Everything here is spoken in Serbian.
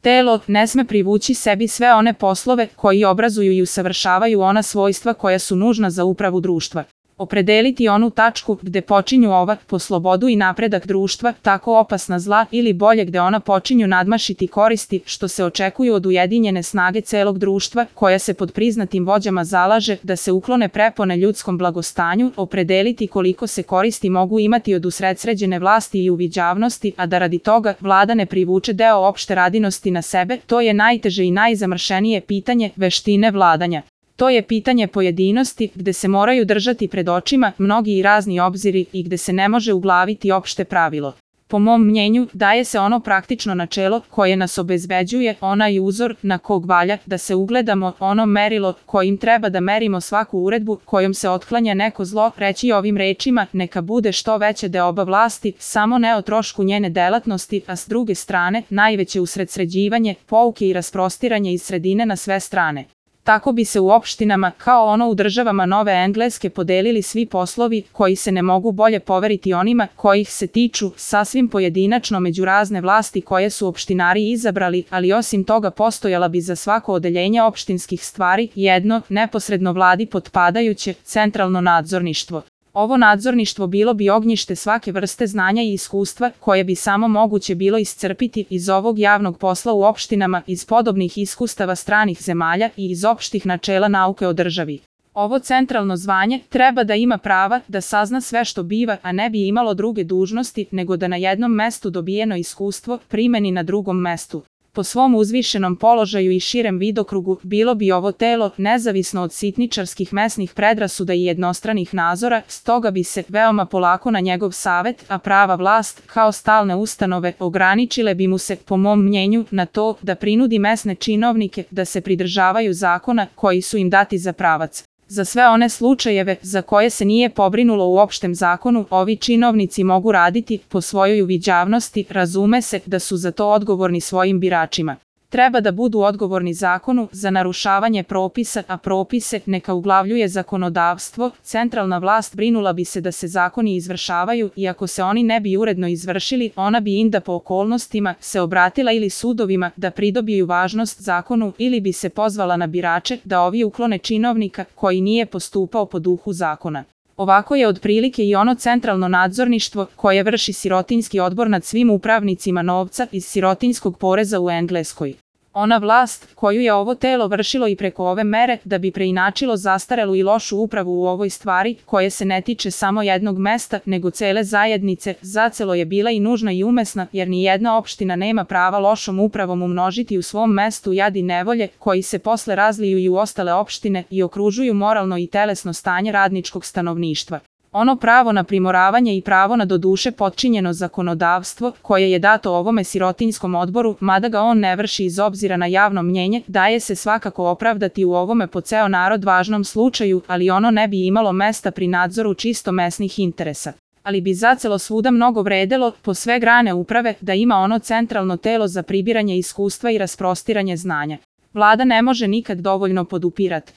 Telo ne sme privući sebi sve one poslove koji obrazuju i usavršavaju ona svojstva koja su nužna za upravu društva. Opredeliti onu tačku gde počinju ova, po slobodu i napredak društva, tako opasna zla ili bolje gde ona počinju nadmašiti koristi što se očekuju od ujedinjene snage celog društva koja se pod priznatim vođama zalaže da se uklone prepone ljudskom blagostanju, opredeliti koliko se koristi mogu imati od usredsređene vlasti i uviđavnosti, a da radi toga vlada ne privuče deo opšte radinosti na sebe, to je najteže i najzamršenije pitanje veštine vladanja. To je pitanje pojedinosti gde se moraju držati pred očima mnogi i razni obziri i gde se ne može uglaviti opšte pravilo. Po mom mnjenju, daje se ono praktično načelo koje nas obezbeđuje, onaj uzor na kog valja da se ugledamo, ono merilo kojim treba da merimo svaku uredbu kojom se otklanja neko zlo, reći ovim rečima neka bude što veće deoba vlasti, samo ne o trošku njene delatnosti, a s druge strane najveće usredsređivanje, pouke i rasprostiranje iz sredine na sve strane. Tako bi se u opštinama, kao ono u državama Nove Engleske, podelili svi poslovi koji se ne mogu bolje poveriti onima kojih se tiču, sasvim pojedinačno među razne vlasti koje su opštinari izabrali, ali osim toga postojala bi za svako odeljenje opštinskih stvari jedno, neposredno vladi potpadajuće, centralno nadzorništvo. Ovo nadzorništvo bilo bi ognjište svake vrste znanja i iskustva koje bi samo moguće bilo iscrpiti iz ovog javnog posla u opštinama, iz podobnih iskustava stranih zemalja i iz opštih načela nauke o državi. Ovo centralno zvanje treba da ima prava da sazna sve što biva, a ne bi imalo druge dužnosti nego da na jednom mestu dobijeno iskustvo primeni na drugom mestu. Po svom uzvišenom položaju i širem vidokrugu bilo bi ovo telo nezavisno od sitničarskih mesnih predrasuda i jednostranih nazora, stoga bi se veoma polako na njegov savet, a prava vlast, kao stalne ustanove, ograničile bi mu se, po mom mnjenju, na to da prinudi mesne činovnike da se pridržavaju zakona koji su im dati za pravac. Za sve one slučajeve za koje se nije pobrinulo u opštem zakonu, ovi činovnici mogu raditi po svojoj uviđavnosti, razume se da su za to odgovorni svojim biračima. Treba da budu odgovorni zakonu za narušavanje propisa, a propise neka uglavljuje zakonodavstvo, centralna vlast brinula bi se da se zakoni izvršavaju i ako se oni ne bi uredno izvršili, ona bi inda po okolnostima se obratila ili sudovima da pridobiju važnost zakonu ili bi se pozvala na birače da ovi uklone činovnika koji nije postupao po duhu zakona. Ovako je otprilike i ono centralno nadzorništvo koje vrši sirotinjski odbor nad svim upravnicima novca iz sirotinjskog poreza u Engleskoj. Ona vlast koju je ovo telo vršilo i preko ove mere da bi preinačilo zastarelu i lošu upravu u ovoj stvari koje se ne tiče samo jednog mesta nego cele zajednice, zacelo je bila i nužna i umesna jer ni jedna opština nema prava lošom upravom umnožiti u svom mestu jad i nevolje koji se posle razliju i u ostale opštine i okružuju moralno i telesno stanje radničkog stanovništva. Ono pravo na primoravanje i pravo na doduše potčinjeno zakonodavstvo koje je dato ovome sirotinjskom odboru, mada ga on ne vrši iz obzira na javno mnjenje, daje se svakako opravdati u ovome po ceo narod važnom slučaju, ali ono ne bi imalo mesta pri nadzoru čisto mesnih interesa. Ali bi zacelo svuda mnogo vredelo, po sve grane uprave, da ima ono centralno telo za pribiranje iskustva i rasprostiranje znanja. Vlada ne može nikad dovoljno podupirati